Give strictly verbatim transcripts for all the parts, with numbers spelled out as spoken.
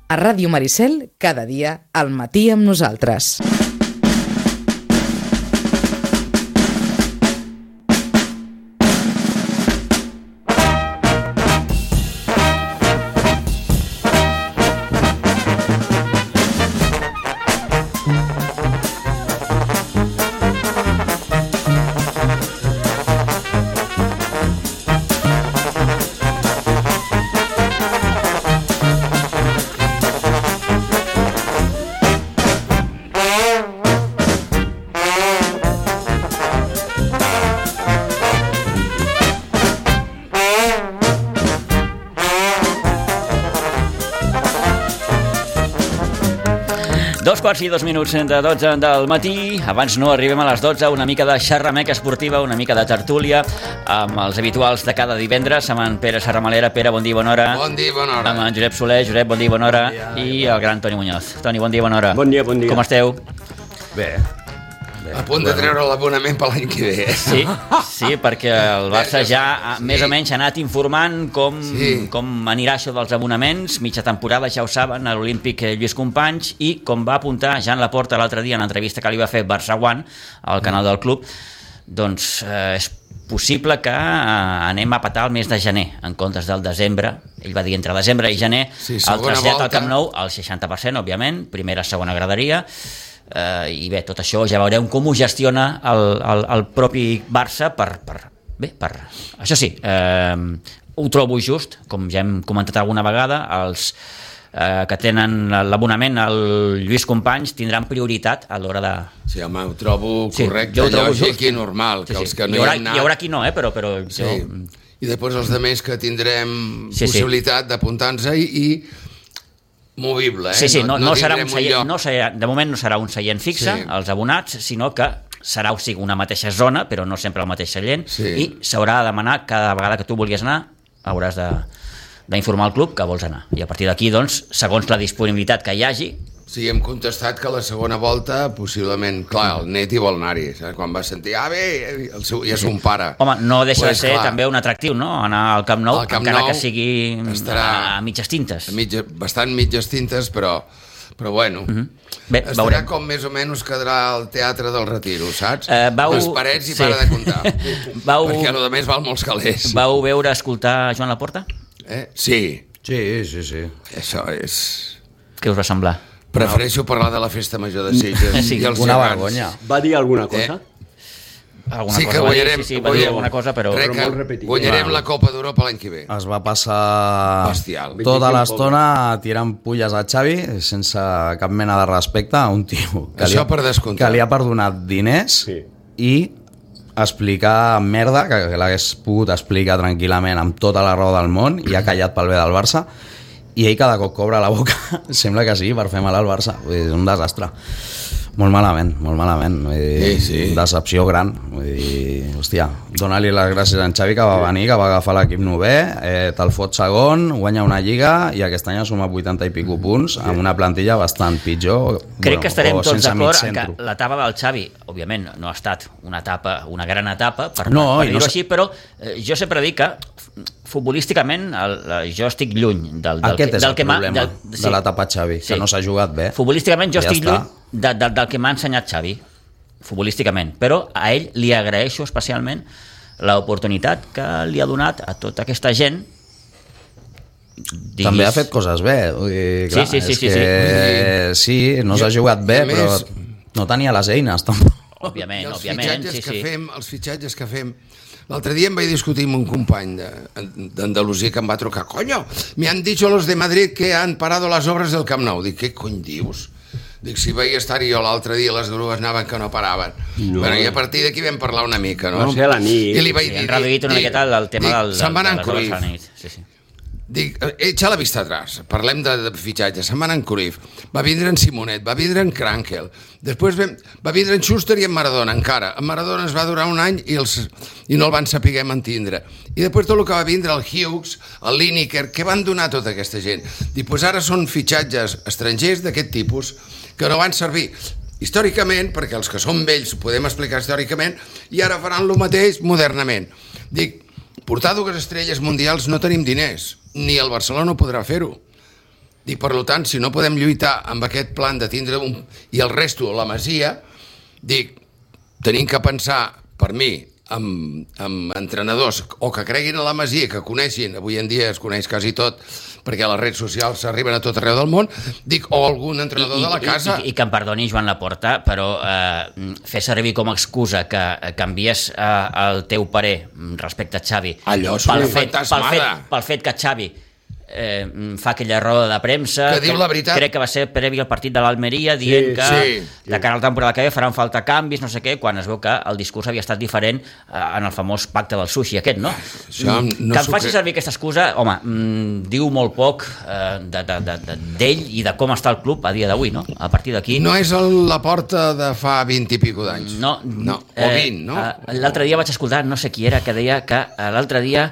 A Ràdio Maricel, cada dia, al matí amb nosaltres. Dos quarts i dos minuts de dotze del matí. Abans no arribem a les dotze, una mica de xerrameca esportiva, una mica de tertúlia, amb els habituals de cada divendres, amb en Pere Serramalera. Pere, bon dia, bona hora. Bon dia, bona hora. Amb en Josep Soler. Josep, bon dia, bona hora. Bon dia, I el gran Toni Muñoz. Toni, bon dia, bona hora. Bon dia, bon dia. Com esteu? Bé. A punt de treure l'abonament per l'any que ve. Sí, sí, perquè el Barça ja sí. més o menys ha anat informant com, sí. com anirà això dels abonaments. Mitja temporada, ja ho saben, a l'Olímpic Lluís Companys, i com va apuntar Jan Laporta l'altre dia en l'entrevista que li va fer Barça One al canal del club, doncs eh, és possible que eh, anem a petar el mes de gener en comptes del desembre. Ell va dir entre desembre i gener, sí, el trasllat al Camp Nou al seixanta per cent, òbviament, primera, segona graderia. Uh, i bé, tot això ja veurem com ho gestiona el, el, el propi Barça per, per, bé, per... Això sí, uh, ho trobo just, com ja hem comentat alguna vegada, els uh, que tenen l'abonament al Lluís Companys tindran prioritat a l'hora de... Sí, home, ho trobo correcte, sí, ho trobo lògic just. I normal, sí, que sí. els que no hi, haurà, hi han anat... Hi haurà qui no, eh, però, però sí. jo... I després els altres que tindrem sí, possibilitat sí. d'apuntar-nos i... i movible, eh? Sí, sí, no, no, no serà un seient, un no serà, de moment no serà un seient fixe, sí. els abonats, sinó que serà o sigui, una mateixa zona, però no sempre el mateix seient, sí. i s'haurà de demanar cada vegada que tu vulguis anar, hauràs de, d'informar al club que vols anar. I a partir d'aquí, doncs, segons la disponibilitat que hi hagi... Sí, hem contestat que la segona volta, possiblement, clar, el Neti vol anar-hi, saps? Quan va sentir, ah, bé, el seu, ja és un pare. Home, no deixa pues, de ser clar. també un atractiu, no?, anar al Camp Nou, Camp encara Nou que sigui a, a mitges tintes. A mitja, bastant mitges tintes, però, però bueno, uh-huh. bé, estarà veurem. Com més o menys quedarà el Teatre del Retiro, saps? Uh, vau... Les parets i sí. para de comptar, vau... perquè a més val molts calés. Vau veure, escoltar Joan Laporta? Eh? Sí. Sí, sí, sí. Això és... Què us va semblar? Prefereixo parlar de la festa major de Sitges sí, i els una vergonya. Va dir alguna cosa? Eh? Alguna sí cosa que guanyarem, sí, sí, va dir alguna cosa, però... Crec que guanyarem la Copa d'Europa l'any que ve. Es va passar Bestial. tota l'estona tirant pulles a Xavi sense cap mena de respecte a un tio que, Això li, per descomptar. que li ha perdonat diners sí. i explicar merda que, que l'hagués pogut explicar tranquil·lament amb tota la raó del món i ha callat pel bé del Barça. I ell cada cop cobra la boca, sembla que sí, per fer mal al Barça. És un desastre. Molt malament, molt malament. Vull dir, sí, sí. Decepció gran. Vull dir, hòstia, dona-li les gràcies a en Xavi que va venir, que va agafar l'equip novè, eh, te'l fot segon, guanya una lliga i aquest any ha sumat vuitanta i pico punts amb una plantilla bastant pitjor. Crec bueno, que estarem tots d'acord en que l'etapa del Xavi, òbviament, no ha estat una etapa, una gran etapa, per, no, per dir-ho no així, però eh, jo sempre dic que futbolísticament el, jo estic lluny del, del, aquest és del el que problema del, sí. de l'etapa Xavi, que sí. no s'ha jugat bé. Futbolísticament jo ja estic està. lluny de, de, del que m'ha ensenyat Xavi, futbolísticament, però a ell li agraeixo especialment l'oportunitat que li ha donat a tota aquesta gent. Diguis... També ha fet coses bé, vull dir, clar, sí, sí, sí, és que sí, sí, no s'ha jugat bé, però no tenia les eines tampoc. Òbviament, els òbviament, fitxatges sí, que sí. fem, els fitxatges que fem. L'altre dia em vaig discutir amb un company d'Andalusia que em va trucar. Coño, me han dicho los de Madrid que han parado las obras del Camp Nou. Dic, què cony dius? Dic, si vaig estar-hi jo l'altre dia, les grues anaven que no paraven. No. Bueno, i a partir d'aquí vam parlar una mica, no? Va ser a la nit. I li vaig sí, dir... Han reduït una dic, miqueta el tema dic, del, se'n van de en les obres a la nit. Sí, sí. Dic, echa la vista atrás, parlem de, de fitxatge. Se'n van en Cruyff, va vindre en Simonet, va vindre en Krankel, després vam, va vindre en Schuster i en Maradona encara. En Maradona es va durar un any i, els, i no el van saber mantindre. I després tot el que va vindre, el Hughes, el Lineker, què van donar tota aquesta gent? Dic, pues ara són fitxatges estrangers d'aquest tipus que no van servir històricament, perquè els que són vells ho podem explicar històricament, i ara faran el mateix modernament. Dic, portar dues estrelles mundials no tenim diners, ni el Barcelona podrà fer-ho. Dic, per tant, si no podem lluitar amb aquest plan de tindre un... i el resto, la Masia, dic, tenim que pensar, per mi, amb, amb entrenadors o que creguin a la Masia, que coneixin, avui en dia es coneix quasi tot, perquè les redes socials arriben a tot arreu del món, dic, o algun entrenador I, de la casa... I, i, I que em perdoni Joan Laporta, però eh, fer servir com a excusa que canvies eh, el teu parer respecte a Xavi Allò és pel una fet, pel, fet, fantasmada. pel fet que Xavi eh, fa aquella roda de premsa que diu la veritat. Crec que va ser previ al partit de l'Almeria dient sí, que sí, sí. de cara a la temporada que ve faran falta canvis, no sé què, quan es veu que el discurs havia estat diferent eh, en el famós pacte del sushi aquest, no? Això no que em faci servir aquesta excusa, home, mm, diu molt poc eh, d'ell de, de, de, de, i de com està el club a dia d'avui, no? A partir d'aquí... No és el, la porta de fa vint i pico d'anys. No, no. O vint, no? Eh, l'altre dia vaig escoltar, no sé qui era, que deia que eh, l'altre dia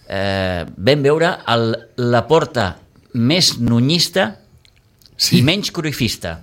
eh, vam veure el, la porta més nunyista sí. i menys cruifista.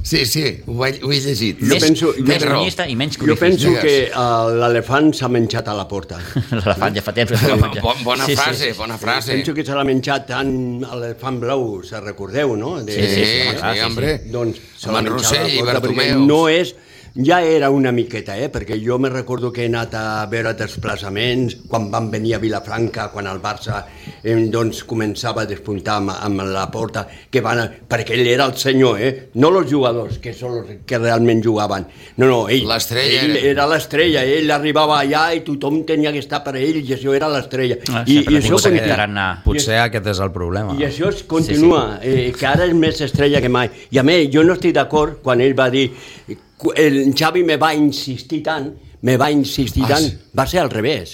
Sí, sí, ho he, ho he llegit. Més, penso, més nunyista i menys cruifista. Jo penso que uh, l'elefant s'ha menjat a la porta. L'elefant ja fa temps que s'ha menjat. Bon, bona sí, frase, sí. bona frase. Penso que se l'ha menjat tant l'elefant blau, se recordeu, no? De, sí, sí, sí, sí, sí, sí, hombre. Doncs amb en Rossell i Bartomeu. No és... Ja era una miqueta, eh? Perquè jo me recordo que he anat a veure desplaçaments quan van venir a Vilafranca, quan el Barça eh, doncs, començava a despuntar amb, amb la porta, que van a... perquè ell era el senyor, eh? No els jugadors, que són els que realment jugaven. No, no, ell, ell era l'estrella, ell arribava allà i tothom tenia que estar per ell, i això era l'estrella. Ah, I, i això continua. Potser aquest és el problema. I això es continua, sí, sí. Eh, que ara és més estrella que mai. I a més, jo no estic d'acord quan ell va dir... El Xavi me va insistir tant, me va insistir ah, tant, va ser al revés.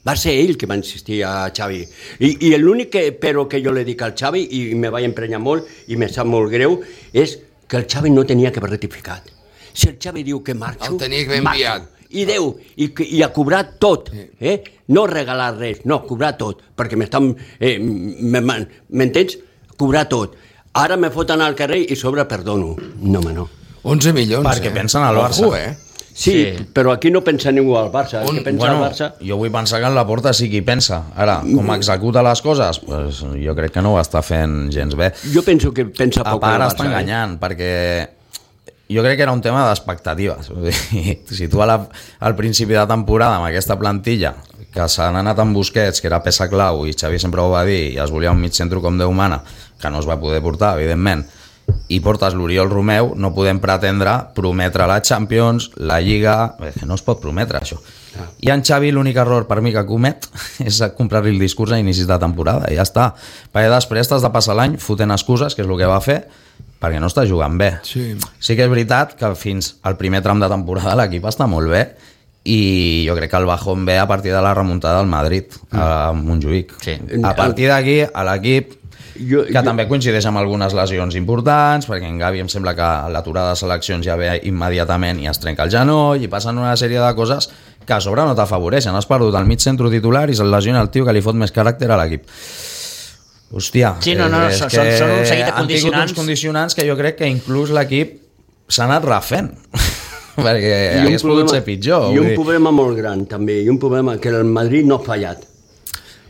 Va ser ell que va insistir a Xavi. I, i l'únic que, però que jo li dic al Xavi, i me vaig emprenyar molt, i me sap molt greu, és que el Xavi no tenia que haver rectificat. Si el Xavi diu que marxo, el tenia que haver enviat. I Déu, i, i a cobrar tot, eh? No regalar res, no, cobrar tot, perquè m'estan... Eh, m'entens? Cobrar tot. Ara me foten al carrer i sobre perdono. No, home, no. onze milions, perquè eh? pensen al Barça. Ojo, eh? Sí, sí, però aquí no pensa ningú al Barça. Un, que pensa bueno, al Barça... Jo vull pensar que en la porta sí qui pensa. Ara, com executa les coses, pues, jo crec que no ho està fent gens bé. Jo penso que pensa poc al Barça. Barça. Està enganyant, eh? perquè jo crec que era un tema d'expectatives. Si tu la, al principi de temporada amb aquesta plantilla, que s'han anat amb Busquets, que era peça clau, i Xavi sempre ho va dir, i es volia un mig centre com Déu mana, que no es va poder portar, evidentment, i portes l'Oriol Romeu, no podem pretendre prometre la Champions, la Lliga, bé, que no es pot prometre això. Ah. I en Xavi l'únic error per mi que comet és comprar-li el discurs a inicis de temporada, i ja està. Perquè després t'has de passar l'any fotent excuses, que és el que va fer, perquè no està jugant bé. Sí. Sí que és veritat que fins al primer tram de temporada l'equip està molt bé, i jo crec que el bajón ve a partir de la remuntada del Madrid, a Montjuïc. Sí. A partir d'aquí, a l'equip, Jo, que jo... també coincideix amb algunes lesions importants, perquè en Gavi em sembla que l'aturada de seleccions ja ve immediatament i es trenca el genoll, i passen una sèrie de coses que a sobre no t'afavoreixen. Has perdut el mig centre titular i se'l lesiona el tio que li fot més caràcter a l'equip. Hòstia, sí, no, no, és són, que són un seguit de condicionants. uns condicionants que jo crec que inclús l'equip s'ha anat refent. perquè hagués pogut ser pitjor. I un problema molt gran també, i un problema que el Madrid no ha fallat.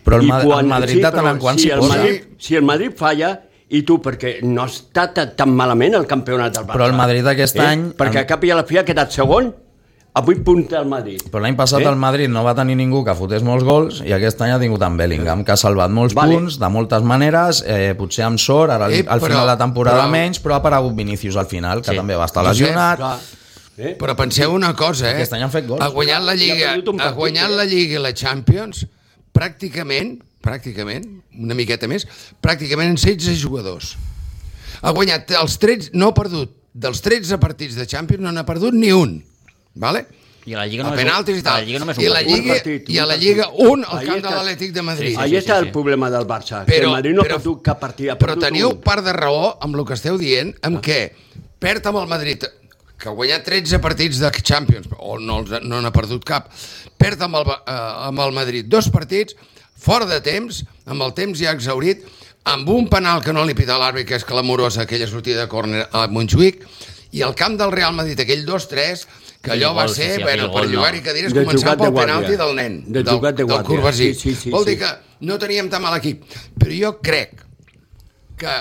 Però el, quan, el Madrid sí, de tant en quant si s'hi posa. Madrid, si el Madrid falla, i tu, perquè no està tan malament el campionat del Barça. Però el Madrid aquest eh? any... Perquè a cap i a la fi ha quedat segon, a vuit punts del Madrid. Però l'any passat eh? el Madrid no va tenir ningú que fotés molts gols, i aquest any ha tingut en Bellingham, que ha salvat molts vale. punts, de moltes maneres, eh, potser amb sort, ara eh, al final de temporada però... menys, però ha aparegut Vinícius al final, que sí. també va estar lesionat. Eh? Però penseu una cosa, eh? Aquest any han fet gols. Ha guanyat la Lliga, ha guanyat la Lliga i la Champions pràcticament, pràcticament, una miqueta més, pràcticament en setze jugadors. Ha guanyat els tretze, no ha perdut, dels tretze partits de Champions no n'ha perdut ni un, vale? I a la Lliga només, a penaltis i tal. I a la Lliga només I la Lliga, partit, i a la Lliga un al camp de l'Atlètic de Madrid. Sí, sí, Ahí està sí, sí. el problema del Barça, però, que el Madrid no però, ha perdut cap partit. Però teniu un. part de raó amb el que esteu dient, amb ah. què perd amb el Madrid, que ha guanyat tretze partits de Champions, o no no n'ha perdut cap, perd amb el, eh, amb el Madrid dos partits, fora de temps, amb el temps ja exhaurit, amb un penal que no li pita l'àrbit, que és clamorosa, aquella sortida de córner a Montjuïc, i al camp del Real Madrid, aquell dos tres, que allò va ser, sí, bueno, per jugar-hi cadires, començant pel penalti del nen, del, del, del Corbasí. Sí, sí, sí, Vol sí. dir que no teníem tan mal equip. Però jo crec que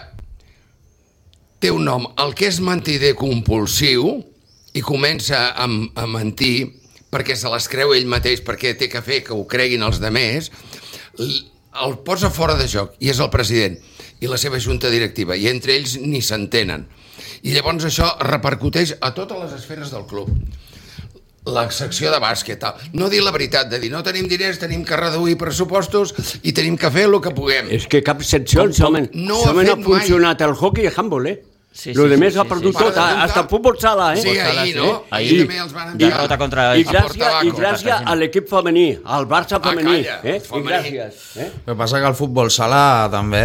té un nom, el que és mentider compulsiu i comença a, a mentir perquè se les creu ell mateix, perquè té que fer que ho creguin els demés, el posa fora de joc, i és el president i la seva junta directiva, i entre ells ni s'entenen. I llavors això repercuteix a totes les esferes del club. La secció de bàsquet, no dir la veritat, de dir no tenim diners, tenim que reduir pressupostos i tenim que fer el que puguem. És que cap secció no, no ha, ha funcionat el hockey i el handball, eh? Sí, lo sí, de més sí, ha perdut sí, tot, sí. hasta el futbol sala, eh? Sí, ahir, no? Ahir, Ahir també els van enviar. derrota contra I el gràcies, i gràcies a l'equip femení, al Barça femení, calla, eh? I femení. gràcies. Eh? El que passa que el futbol sala també...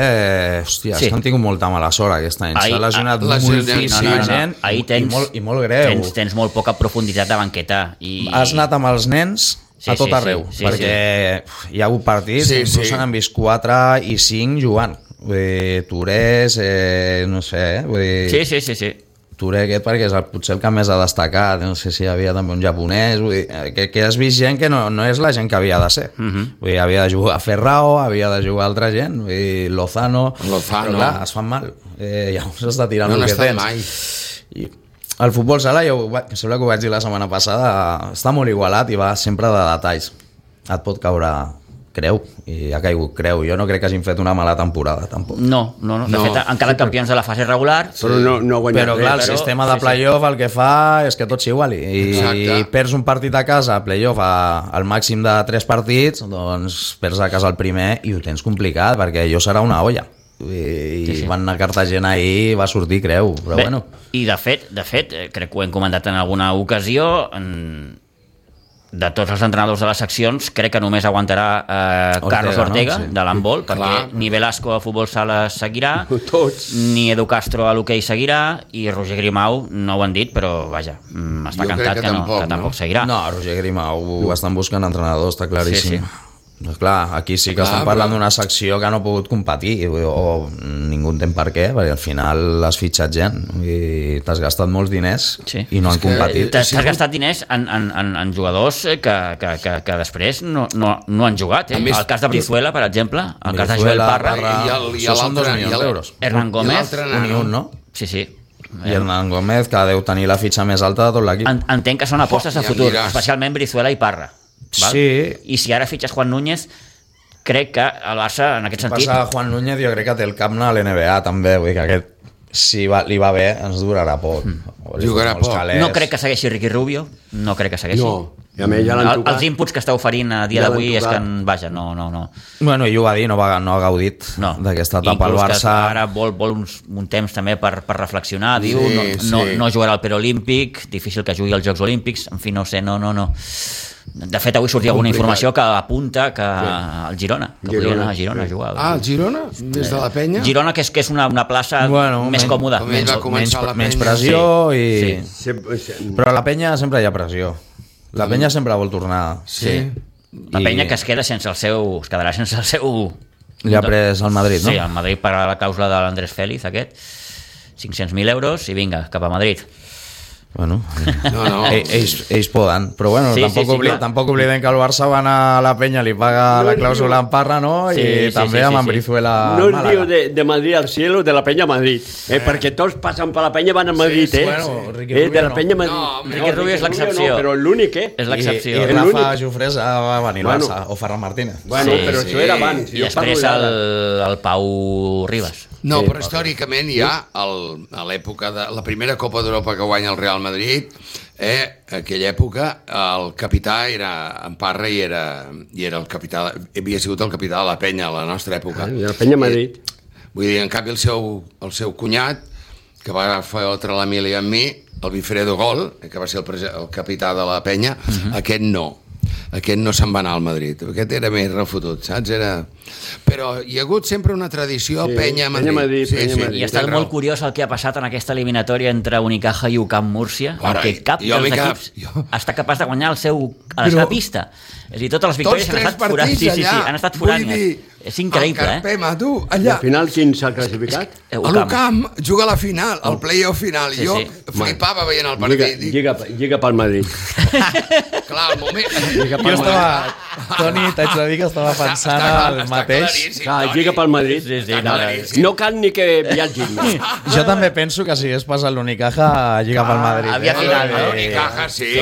Hòstia, Sí. és que han tingut molta mala sort aquest any. Ahir- S'ha lesionat ah, moltíssima sí, no, no, no. gent Ahir i, tens, i, molt, i molt greu. Tens, tens molt poca profunditat de banqueta. I... Has anat amb els nens Sí, a tot sí, arreu, sí, sí, perquè hi ha hagut partits, Sí, inclús sí. se n'han vist quatre i cinc jugant. Vull dir, Torés, eh, no sé, eh? Vull dir, Sí, sí, sí, sí. Touré aquest perquè és el, potser el que més ha destacat, no sé si hi havia també un japonès, vull dir, que, que has vist gent que no, no és la gent que havia de ser. Uh -huh. Vull dir, havia de jugar Ferrao, havia de jugar altra gent, vull dir, Lozano, Lozano. però clar, es fan mal. Eh, llavors has de tirar No el n'ha que estat tens. mai. I el futbol sala, jo, que sembla que ho vaig dir la setmana passada, està molt igualat i va sempre de detalls. Et pot caure creu, i ha caigut creu. Jo no crec que hagin fet una mala temporada, tampoc. No, no, no. De No. fet, han quedat campions de la fase regular. Però no, no guanyat Però res. clar, el però- sistema de sí, sí. playoff el que fa és que tot s'iguali. I Exacte. perds un partit a casa, playoff a- al màxim de tres partits, doncs perds a casa el primer i ho tens complicat, perquè allò serà una olla. I, Sí, sí. van anar a Cartagena ahir i va sortir creu, però Bé, bueno. I de fet, de fet, eh, crec que ho hem comentat en alguna ocasió, en... de tots els entrenadors de les seccions, crec que només aguantarà eh, Ortega, Carlos Ortega, no? Sí. de l'handbol, perquè Clar. ni Velasco a futbol sala seguirà, Tots. ni Edu Castro a l'hoquei seguirà, i Roger Grimau no ho han dit, però vaja, mm, està Jo crec cantat que que, no, tampoc, que tampoc no? seguirà. No, Roger Grimau estan buscant entrenador, està claríssim. Sí, sí. Doncs clar, aquí sí que Clar, estem parlant però- d'una secció que no ha pogut competir, o, o ningú entén per què, perquè al final has fitxat gent i t'has gastat molts diners Sí. i no han És que- competit. T'has Sí. t'has gastat diners en, en, en, en jugadors que, que, que, que després no, no, no han jugat. Eh? A més- el cas de Brizuela, per exemple, el cas de Joel Brizuela, Parra, I el- i Això són dos l'altre- milions i el- d'euros. Hernán I Gómez, l'altre Un i nano. un, no? sí, sí. I Hernán Gómez, que deu tenir la fitxa més alta de tot l'equip. En, entenc que són apostes Oh, a ja futur, miràs. especialment Brizuela i Parra. Val? Sí. I si ara fitxes Juan Núñez, crec que el Barça, en aquest sentit... Passa Juan Núñez, jo crec que té el cap a l'N B A també, vull dir que aquest, si va, li va bé, ens durarà poc. Mm. Jugarà poc. No crec que segueixi Ricky Rubio, no crec que segueixi. No, i a més ja l'han El, tocat. els inputs que està oferint a dia Ja l'han d'avui és que, tocat. vaja, no, no, no. Bueno, i ho va dir, no, va, no ha gaudit no. d'aquesta etapa al Inclús que Barça. ara vol, vol uns, un temps també per, per reflexionar, diu, Sí, no, no, sí. no jugarà al Perolímpic, difícil que jugui als Jocs Olímpics, en fi, no sé, no, no, no. De fet, avui sortia alguna Complicat. informació que apunta que el Girona, que Girona, podria anar a Girona sí. a jugar. Ah, el Girona? Des de la penya? Girona, que és, que és una, una plaça Bueno, més men- còmoda. com ell va menys, començar la menys penya. pressió Sí, i... sí. Sempre- se- Però a la penya sempre hi ha pressió. La penya sempre vol tornar. Sí. La I penya que es queda sense el seu... es quedarà sense el seu... Li ha pres el Madrid, no? Sí, el Madrid pagarà la clàusula de l'Andrés Félix, aquest, cinc-cents mil euros, i vinga, cap a Madrid. Bueno, No, no. ell- ells, ells poden. Però bueno, Sí, tampoc, sí, sí, obli clar. tampoc oblidem que el Barça va anar a la penya, li paga No la es clàusula diu- en Parra, no? Sí, I sí, també sí, amb sí, en sí. Brizuela No a es Màlaga. diu de, de Madrid al cielo, de la Peña a Madrid. Eh, perquè tots passen per la Peña van a Madrid, sí, eh? bueno, Ricky eh? De Rubio la no. Peña a Madrid. No, Ricky Rubio és l'excepció. No, però l'únic, eh? És I, l'excepció. i El Rafa únic- Jofrés va venir al Bueno. Barça, o Ferran Martínez. Bueno, Sí, però sí. això era abans. I jo després parlo el, d'ara. el Pau Ribas. No, Sí, però històricament ja el, a l'època de la primera Copa d'Europa que guanya el Real Madrid, eh, aquella època el capità era en Parra i era, i era el capità, havia sigut el capità de la penya a la nostra època. Ah, de la Peña a Madrid. I, vull dir, en canvi el seu, el seu cunyat, que va fer altre l'Emili amb mi, el Bifredo Gol, que va ser el, prese- el capità de la penya, uh -huh. aquest no. Aquest no se'n va anar al Madrid. Aquest era més refotut, saps? Era... Però hi ha hagut sempre una tradició Sí, penya-Madrid. Penya Madrid, Penya Madrid. I ha estat tens molt raó. curiós el que ha passat en aquesta eliminatòria entre Unicaja i U C A M Múrcia, Ara, perquè cap jo dels m'he quedat- equips jo- està capaç de guanyar el seu, a la Però- seva pista. És a dir, totes les victòries Tots han tres estat forades. partits Sí, sí, sí, allà. han estat Vull forades. dir, És increïble, el eh? Carpema, tu, I allà. al final, quin s'ha classificat? Eh, A U C A M. l'U C A M juga a la final, al play-off final. Sí, jo sí. flipava veient el Lliga, partit. Dic, lliga, lliga pel Madrid. clar, al moment... Lliga Jo pel Madrid. estava... Toni, t'haig de dir que estava pensant està, al està mateix. Clar, lliga pel Madrid. Sí, sí, no, no cal ni que viatgin. Jo també penso que si hagués passat l'Unicaja, lliga pel Madrid. havia final, no? L'Unicaja, sí.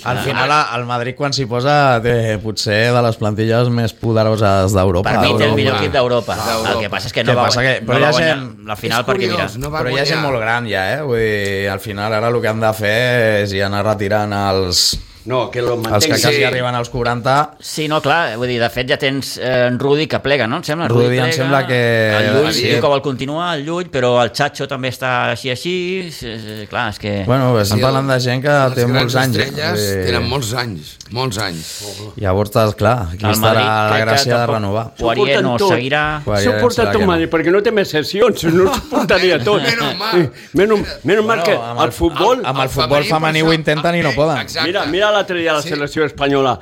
Al final, el Madrid, quan s'hi posa, té potser de les plantilles més poderoses d'Europa. Per mi té el millor Europa. equip d'Europa. El que passa és que no Què va, passa que- no però hi va ha guanyar gent- la final És perquè, curiós, mira, no va Però hi ha gent guanyar. molt gran ja, eh? Vull dir, al final ara el que han de fer és ja anar retirant els, No, que lo els que mantenguin. quasi Sí. arriben als quaranta. sí, no, clar, vull dir, de fet ja tens eh, en Rudi que plega, no? Em sembla, Rudi em plega, sembla que- el Llull sí. diu que vol continuar, el Llull, però el Chacho també està així així, eh, clar, és que... Bueno, estem Sí, parlant de gent que les té grans molts anys. estrelles Vull dir, tenen molts anys, molts anys. Llavors, clar, aquí el estarà la crec que gràcia de tampoc- renovar. Poirier no tot. seguirà... Poirier S'ho porta serà tot que no. Madrid, perquè no té més sessions, no s'ho portaria tot. Menos mal. Menos, menos mal Bueno, que amb el el- futbol... amb el El futbol femení, femení per ho això- intenten i no eh, poden. exacte. Mira, mira l'altre dia la Sí. selecció espanyola.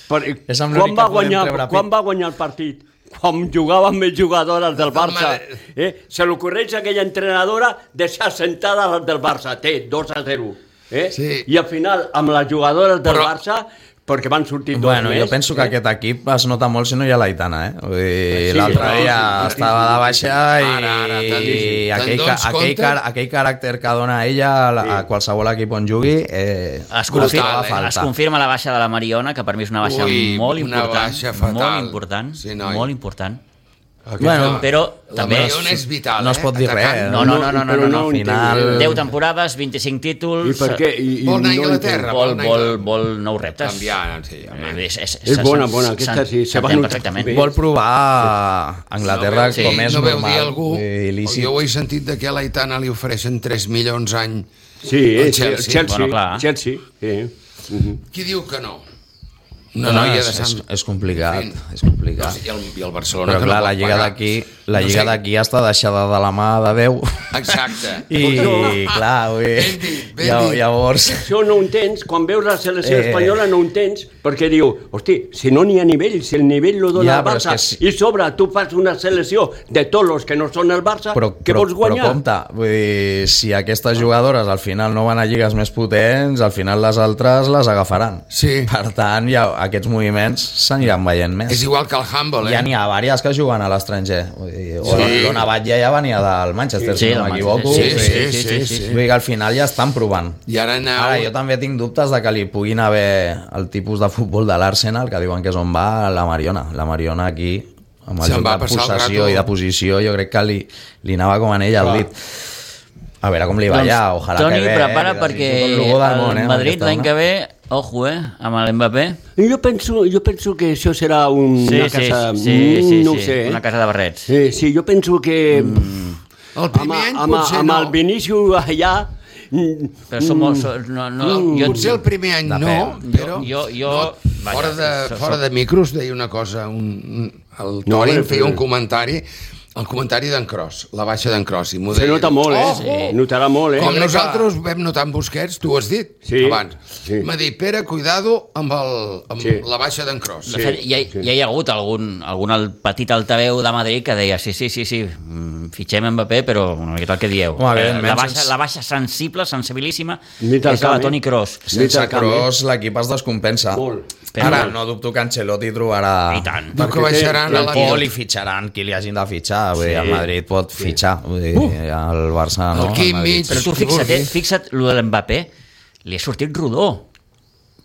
Per, És amb quan, l'únic va que podem guanyar, treure quan pit. va guanyar el partit? Quan jugaven més jugadores del Barça. Madrid. Eh? Se li ocorreix a aquella entrenadora deixar sentada les del Barça. Té dos a zero. Eh? Sí. I al final, amb les jugadores del Però- Barça, perquè van sortir dos Bueno, més. jo penso que eh? aquest equip es nota molt si no hi ha l'Aitana, eh? Vull dir, Sí, l'altre no, dia sí, estava de baixa i, Ara, ara, te'n- i te'n aquell, dones ca- aquell, compte? car aquell caràcter que dona ella a, la, a qualsevol equip on jugui eh, Es Brutal, confirma, eh? es confirma la baixa de la Mariona, que per mi és una baixa Ui, molt una important. baixa fatal. Molt important, Sí, noi. molt important. Bueno, Però La també... Mariona és vital, no es eh? pot dir Atacant. res. No, no, no, no, no, Però no, no. no Al final... deu temporades, vint-i-cinc I títols... per què? I, i Vol anar a no Anglaterra, Vol, anar a vol, Anglaterra. vol nous reptes. Canviar, sí, home. És, és, És bona, s'en- bona, aquesta s'en- sí, se va s'entén notar perfectament. bé. Vol provar a Anglaterra no veu, com és no veu normal. dir algú, Vull dir, lícit. jo ho he sentit de que a l'Aitana li ofereixen tres milions any. Sí, El el Chelsea. Chelsea. Chelsea, Bueno, clar. Chelsea sí. Mhm. Qui diu que no? No, Una no, noia és, de és, Sant... és complicat, En fin. és complicat. I el, i el Barcelona Però que clar, no la pot lliga pagar. d'aquí la No lliga sé. d'aquí està deixada de la mà de Déu. Exacte. I clar, vull dir, Ben dit, ben lla- dit. llavors... Això no ho entens, quan veus la selecció Eh. espanyola no ho entens, perquè diu, hosti, si no n'hi ha nivell, si el nivell lo dona Ja, el però és Barça, que sí. i sobre tu fas una selecció de tots els que no són el Barça, Però, que però, vols guanyar? però compte, vull dir, si aquestes jugadores al final no van a lligues més potents, al final les altres les agafaran. Sí. Per tant, ja, aquests moviments s'aniran veient més. És igual que el Humble, eh? Ja n'hi ha diverses que juguen a l'estranger. Vull dir, o Sí. l'Ona Batlle ja venia del Manchester, Sí, si no del m'equivoco. Manchester, Sí, Vull dir, sí, sí, sí. Vull dir que al final ja estan provant. I ara aneu... Ara, jo també tinc dubtes de que li puguin haver el tipus de futbol de l'Arsenal, que diuen que és on va la Mariona. La Mariona aquí, amb el Se'n joc va de passar el possessió rato. i de posició, jo crec que li, li anava com en ell al Clar. dit. A veure com li va allà, Doncs, ojalà Toni, que bé. prepara li perquè desitjo tot el bo del món, eh, el amb Madrid aquesta l'any dona. que ve, ojo, eh, amb l'Mbappé. Jo penso, jo penso que això serà un, Sí, una sí, casa... sí, sí, sí, no ho sí, sé, eh? una casa de barrets. Sí, sí, jo penso que... El Amb, primer any amb, potser amb no. el Vinícius allà... mm, Però som molt... so- No, no, Mm, jo, potser el primer any no, Depèn. però... Jo- jo- no, vaja, fora, de, so- fora so- de micros deia una cosa, un, un, el No, Toni però- em feia un comentari, el comentari d'en Cros, la baixa d'en Cros. I m'ho Se deia, nota molt, eh? "Oh, Sí. Notarà molt, eh? Com Jo crec que- nosaltres vam notar en Busquets, tu ho has dit Sí, abans. sí. M'ha dit, Pere, cuidado amb, el, amb Sí. la baixa d'en Cros. de fet, ja, ja hi ha hagut algun, algun el petit altaveu de Madrid que deia sí, sí, sí, sí, mm, fitxem Mbappé, però una miqueta el que dieu. Home, Eh, evidentment, la, baixa, sense- la baixa sensible, sensibilíssima, Nit al és la camp, de Toni eh? Kroos. Sense Nit al camp, eh? Kroos l'equip es descompensa. Molt. Però- Ara no dubto que Ancelotti trobarà... I tant. Diu que Perquè té- baixaran a la O li fitxaran qui li hagin de fitxar. Vull dir, el Madrid pot fitxar. Vull dir, el Barça no. Aquí el Madrid. mig. Però tu Qui fixa't, eh, vulgui. fixa't, lo de l'Mbappé li ha sortit rodó.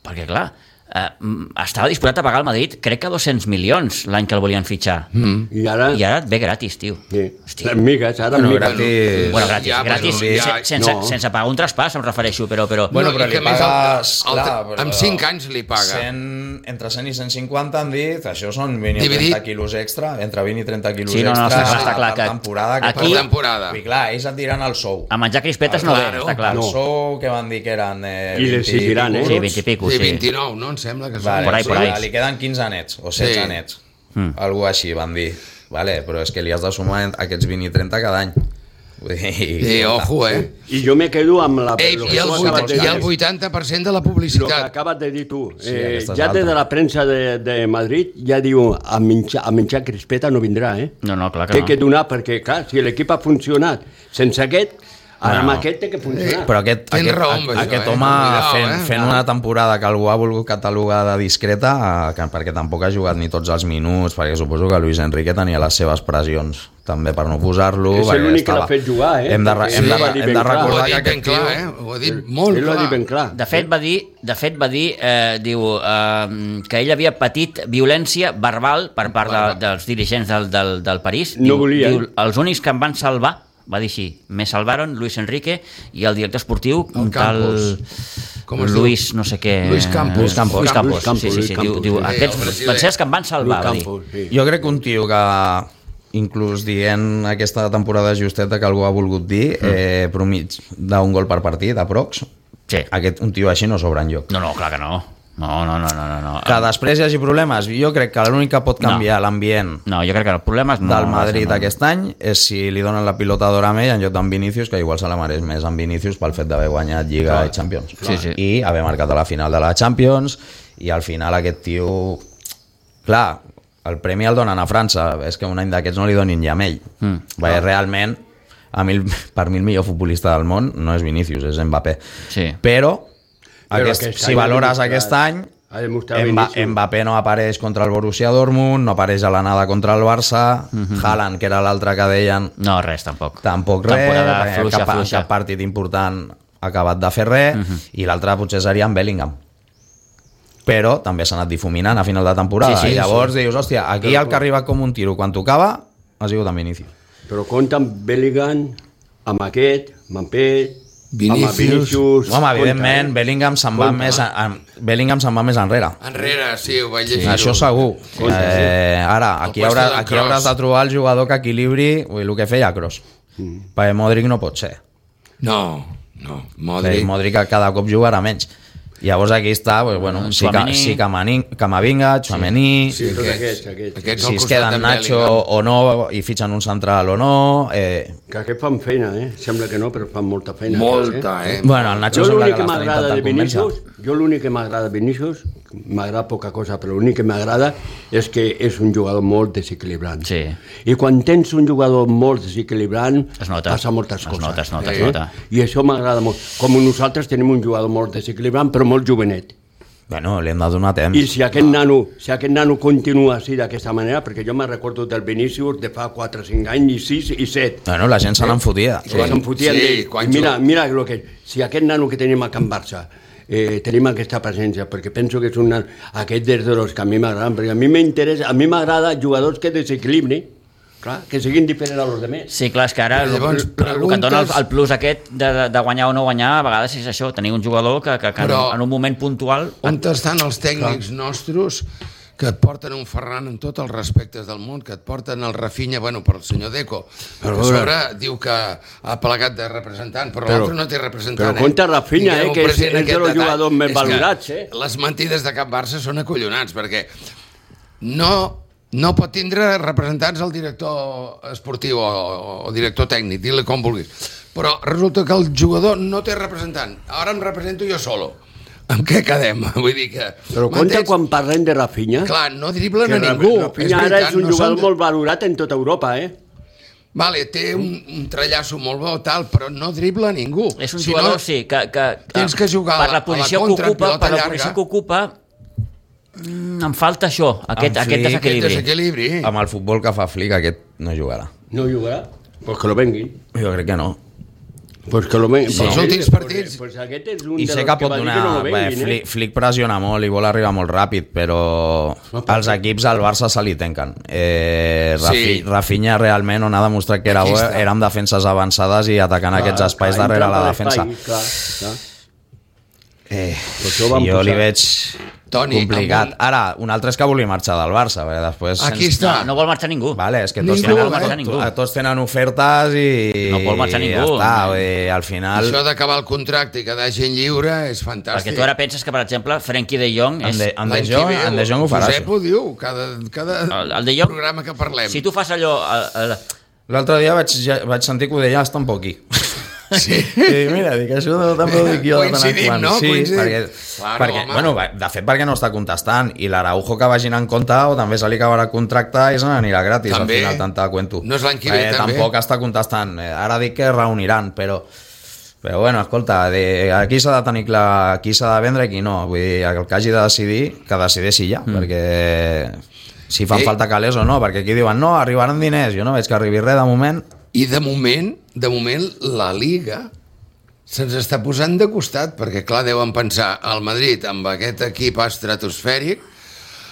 Perquè, clar, eh, mm, estava disposat a pagar al Madrid, crec que dos-cents milions l'any que el volien fitxar. Mm. I ara... I ara et ve gratis, tio. Sí. Hòstia. Les migues, ara Bueno, migues. gratis. Bueno, gratis, Ja, gratis, però se- ja- sense, no. sense pagar un traspàs, em refereixo, però... però Bueno, però i li que a més pagues... el- el- clar, però amb cinc anys li paga. cent, entre cent i cent cinquanta han dit, això són vint i Dividit. trenta quilos extra, entre vint i trenta quilos Sí, no, no, extra està- està clar per que temporada. Que aquí- Per temporada. I clar, ells et diran el sou. a menjar crispetes no ve, Claro. està clar. El No. sou que van dir que eren eh, I li vint exigiran, eh? pico Sí, bruts. vint i pico, Sí, sí. vint-i-nou, no? Em sembla que són. Vale, Por ahí, sí, por ahí. Li queden quinze nets, o setze Sí. nets. Mm. Algú així van dir. Vale, però és que li has de sumar aquests vint i trenta cada any. Vull dir, Sí, ojo, eh? I jo me quedo amb la... Ei, lo que i el, tu vuit- acabes de i el dir. vuitanta per cent de la Lo que publicitat. acabes de dir tu. Sí, Eh, aquesta és ja des alta. de la premsa de, de Madrid ja diu a menjar, a menjar crispeta no vindrà, eh? No, no, clar que Té no. que donar, perquè, clar, si l'equip ha funcionat sense aquest, Ara amb No. aquest té que funcionar. Però aquest, Tens aquest, raó amb això, aquest eh? home Cuidao, fent, eh? fent una temporada que algú ha volgut catalogar de discreta, eh, que, perquè tampoc ha jugat ni tots els minuts, perquè suposo que Luis Enrique tenia les seves pressions també per no posar-lo. És perquè l'únic que estava- l'ha fet jugar, eh? Hem de, re- Perquè hem de, ell va dir hem ben de clar. Ho recordar ha que dit ben aquest clar, tio... eh? Ho ha dit molt Ell ho ha dit clar. ben clar. De fet, va dir, de fet, va dir eh, diu, eh, que ell havia patit violència verbal per part de, dels dirigents del, del, del París. No diu, volien. diu, els únics que em van salvar, va dir així, me salvaron Luis Enrique i el director esportiu, El un tal Campos. Com es diu? Luis no sé què... Luis Campos. Luis Campos, Luis Campos, Luis Campos, sí, sí, Luis sí. Campos, Diu, diu, sí. aquests Sí, el brasiler. van ser els que em van salvar, va dir. Campos, sí. Jo crec que un tio que inclús dient aquesta temporada justeta que algú ha volgut dir, eh, promig d'un gol per partit, aprox, Sí. aquest, un tio així no sobra enlloc. No, no, clar que no. No, no, no, no, no. no. Que després hi hagi problemes, jo crec que l'únic que pot canviar No. l'ambient No, jo crec que el problema és... No, del Madrid no, aquest any és si li donen la pilota d'or a ell en lloc d'en Vinícius, que igual se la mereix més en Vinícius pel fet d'haver guanyat Lliga i Champions. Sí, sí. I haver marcat a la final de la Champions, i al final aquest tio... Clar, el premi el donen a França, és que un any d'aquests no li donin ja a ell. Mm. Perquè realment, a mi, el- per mi el millor futbolista del món no és Vinícius, és Mbappé. Sí. Però, Però aquest, aquest si any ha valores demostrat- aquest any, ha demostrat Mba, Vinícius. Mbappé no apareix contra el Borussia Dortmund, no apareix a l'anada contra el Barça, mm-hmm. Haaland, que era l'altre que deien, No, res, tampoc. tampoc res, Temporada perquè fluixa, cap, fluixa. cap partit important ha acabat de fer res, mm-hmm. i l'altre potser seria en Bellingham. Però també s'ha anat difuminant a final de temporada, Sí, sí, i llavors sí. dius, hòstia, aquí el que ha arribat com un tiro quan tocava ha sigut en Vinícius. Però compta amb Bellingham, amb aquest, amb Mbappé, Vinícius. amb Vinícius... Home, compta, evidentment, eh? Bellingham se'n va, Compta. més a, a, Bellingham se'n va més enrere. Enrere, sí, ho vaig llegir. Això segur. Eh, ara, aquí, El puesto haurà, de aquí Kroos. hauràs de trobar el jugador que equilibri ui, el que feia Kroos. Mm. Perquè Modric no pot ser. No, no, Modric, Modric. Modric cada cop jugarà menys. Llavors aquí està, pues, bueno, sí, que, Tchouaméni. sí que Camavinga, Tchouaméni, Sí, Tots aquests, aquests, aquests. aquests si al es costat queden de Nacho Bellingham. o no, i fitxen un central o no... Eh, Que aquests fan feina, eh? Sembla que no, però fan molta feina. Molta, eh? bueno, el Nacho Jo sembla l'únic que que l'estan m'agrada de intentant convèncer. Vinícius, jo l'únic que m'agrada de Vinícius, m'agrada poca cosa, però l'únic que m'agrada és que és un jugador molt desequilibrant. Sí. I quan tens un jugador molt desequilibrant, Es nota. passa moltes Es coses. nota, es nota, es eh? nota. I això m'agrada molt. Com nosaltres tenim un jugador molt desequilibrant, però molt jovenet. Bueno, li hem de donar temps. I si aquest nano, si aquest nano continua així d'aquesta manera, perquè jo me recordo del Vinícius de fa quatre o cinc anys, i sis i set, Bueno, la gent se n'enfotia. sí. se'n fotien Sí, d'ell. quan I mira, juga- mira lo que, si aquest nano que tenim a Can Barça eh, tenim aquesta presència, perquè penso que és un nano, aquest és de los que a mi m'agraden, perquè a mi m'interessa, a mi m'agrada jugadors que desequilibrin, clar, que siguin diferents a los demés. Sí, clar, és que ara el, Llavors, el, el que et dona el, preguntes- el plus aquest de, de, de guanyar o no guanyar, a vegades és això, tenir un jugador que, que, que Però- en un moment puntual... On estan els tècnics nostres que et porten un Ferran en tots els respectes del món, que et porten el Rafinha, bueno, per el senyor Deco, però a sobre diu que ha plegat de representant, però, Però- l'altre no té representant. però compte Rafinha, Tingueu eh, que és- present és aquest de los detall. jugadors més És que valorats, eh? Les mentides de cap Barça són acollonants, perquè no, no pot tindre representants el director esportiu o, o director tècnic, digue-li com vulguis. Però resulta que el jugador no té representant. Ara em represento jo solo. Amb què quedem? Vull dir que... Però compte m'entens? quan parlem de Rafinha, Clar, no driblen que a ningú. Rafinha ara és un no jugador són de- molt valorat en tota Europa, eh? Vale, té un, un trellasso molt bo, tal, però no dribla a ningú. És un Si jugador, no, sí, que, que, tens que jugar a per la- la a la posició contra, que ocupa, pilota per la llarga. posició que ocupa, mm, em falta això, aquest, En aquest Flick, aquest desequilibri. desequilibri. Amb el futbol que fa Flick, aquest no jugarà. No jugarà? Pues que lo venguin. Jo crec que no. Pues que lo venguin. Sí, els últims partits. Pues, pues aquest és un I de sé los que pot va dir donar... que no lo Bé, venguin, Flick, eh? Flick pressiona molt i vol arribar molt ràpid, però els equips al Barça se li tanquen. Eh, Rafi, Sí. Rafinha realment on ha demostrat que era Aquí bo està. era amb defenses avançades i atacant aquests espais Clar, darrere entrant la a defensa. l'espai, Clar, clar. Eh, Pues això ho vam jo posar. li veig Toni, complicat. amb un- Ara, un altre és que volia marxar del Barça, perquè després... Aquí se'ns- està. No, no vol marxar ningú. Vale, és que tots, Ningú, tenen, no marxa ningú. tots, tots tenen ofertes i... No vol marxar i ningú. Ja està, vull dir, al final... Això d'acabar el contracte i quedar gent lliure és fantàstic. Perquè tu ara penses que, per exemple, Frenkie de Jong En és... de, en de L'any que Jong, ve, en de Jong ho farà. Josep ho diu, cada, cada El, el de Jong, programa que parlem. si tu fas allò... El, el, L'altre dia vaig, ja, vaig sentir que ho deia hasta un poc aquí. Sí. I mira, dic, això també ho dic jo de tant en Coincidim, quant. no? Sí, Coincidim. perquè, Claro, perquè home. bueno, de fet, perquè no està contestant. I l'Araujo que vagin en compte o també se li acabarà el contracte i se n'anirà gratis També. al final, tanta cuento. No és l'any que ve, Eh, també. Tampoc està contestant. Eh, Ara dic que es reuniran, però... Però bueno, escolta, de, aquí s'ha de tenir clar qui s'ha de vendre i qui no. Vull dir, el que hagi de decidir, que decideixi ja, mm. perquè si fan Sí. falta calés o no, perquè aquí diuen no, arribaran diners, jo no veig que arribi res de moment. I de moment, de moment, la Liga se'ns està posant de costat, perquè clar, deuen pensar el Madrid amb aquest equip estratosfèric,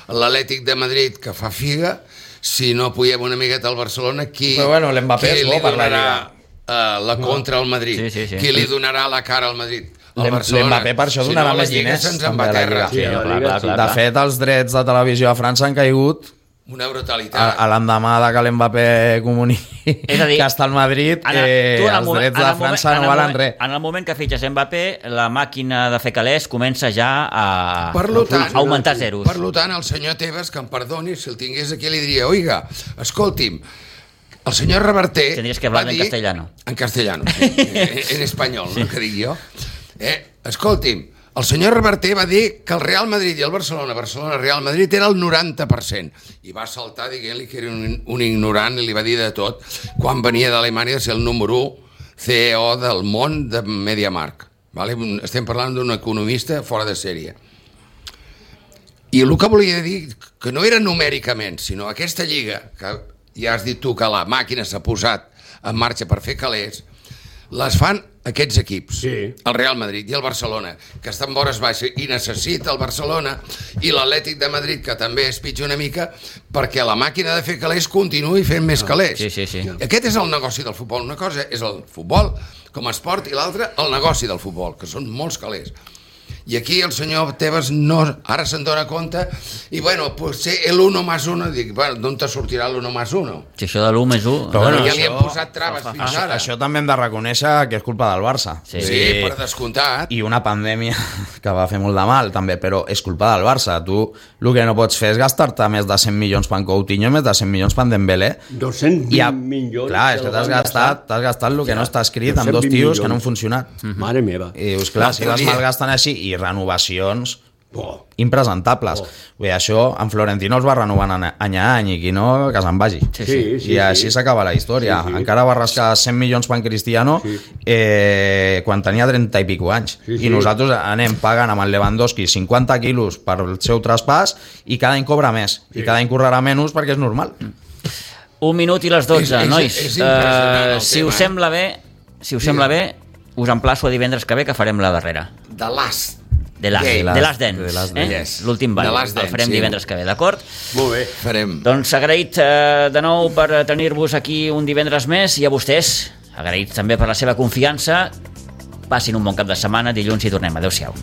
l'Atlètic de Madrid que fa figa, si no apoyem una miqueta al Barcelona, qui, Però bueno, l'Mbappé qui és bo li per la donarà Lliga. uh, la contra al Madrid? Sí, sí, sí. Qui li donarà la cara al Madrid? Al L'Em- Barcelona. L'Mbappé per això Si donarà no, la més Lliga diners se'ns en també va a a la terra. Lliga. Sí, Sí, a la clar, Lliga, clar, sí. clar, De clar. fet, els drets de televisió a França han caigut Una a, brutalitat. a l'endemà de que l'Mbappé comuniqui És a dir, que està al Madrid, En el- eh, tu en el els moment- drets en de el moment- França en no el valen moment- res. En el moment que fitxes Mbappé, la màquina de fer calés comença ja a, Per lo tant, a augmentar zeros. Per lo tant, el senyor Tebas, que em perdoni, si el tingués aquí li diria, oiga, escolti'm, el senyor Reverter... Tendries que hablar va en dir- castellano. En castellano, sí. en, en espanyol, sí. No, que dic jo. Eh, escolti'm, el senyor Reverter va dir que el Real Madrid i el Barcelona, Barcelona-Real Madrid, era el noranta per cent. I va saltar dient-li que era un, un ignorant i li va dir de tot quan venia d'Alemanya a ser el número u C E O del món de MediaMarkt. Vale? Estem parlant d'un economista fora de sèrie. I el que volia dir que no era numèricament, sinó aquesta lliga, que ja has dit tu que la màquina s'ha posat en marxa per fer calés, les fan aquests equips, Sí. el Real Madrid i el Barcelona, que estan vores baixes i necessita el Barcelona, i l'Atlètic de Madrid, que també es pitja una mica, perquè la màquina de fer calés continuï fent més calés. Sí, sí, sí. Aquest és el negoci del futbol. Una cosa és el futbol com a esport i l'altra el negoci del futbol, que són molts calés. I aquí el senyor Tebas no, ara se'n dona compte i bueno, potser el uno más uno, dic, bueno, d'on te sortirà l'uno más uno? Si això de l'u més u... Però Bueno, bueno, ja això- li hem posat traves fins Això, ara. això també hem de reconèixer que és culpa del Barça. Sí. Sí, per descomptat. I una pandèmia que va fer molt de mal també, però és culpa del Barça. Tu el que no pots fer és gastar-te més de cent milions per en Coutinho, més de cent milions per en Dembélé. doscents I a, vint milions. clar, és que t'has gastat, t'has gastat el que no està escrit amb dos tios que no han funcionat. Mare meva. I dius, clar, No si les podia. malgasten així i renovacions Oh. impresentables. Oh. Vull dir, això en Florentino els va renovant any a any i qui no, que se'n vagi. Sí, Sí, sí, I així sí. s'acaba la història. Sí, sí. Encara va rascar cent milions per en Cristiano Sí. eh, quan tenia trenta i pico anys. Sí, sí. I nosaltres anem pagant amb el Lewandowski cinquanta quilos per el seu traspàs i cada any cobra més. I cada any correrà menys perquè és normal. Un minut i les dotze, És- és- nois. és impressionant el Eh, si tema, us eh? sembla bé, si us sembla bé, us emplaço a divendres que ve que farem la darrera. The Last. De Last, Game. de Last Dance. The Last eh? Dance. L'últim ball. The Last El Dance, farem sí. divendres que ve, d'acord? Molt bé. Farem. Doncs agraït eh, de nou per tenir-vos aquí un divendres més i a vostès, agraït també per la seva confiança. Passin un bon cap de setmana, dilluns hi tornem. Adéu-siau.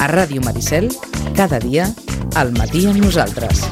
A Ràdio Maricel, cada dia, al matí amb nosaltres.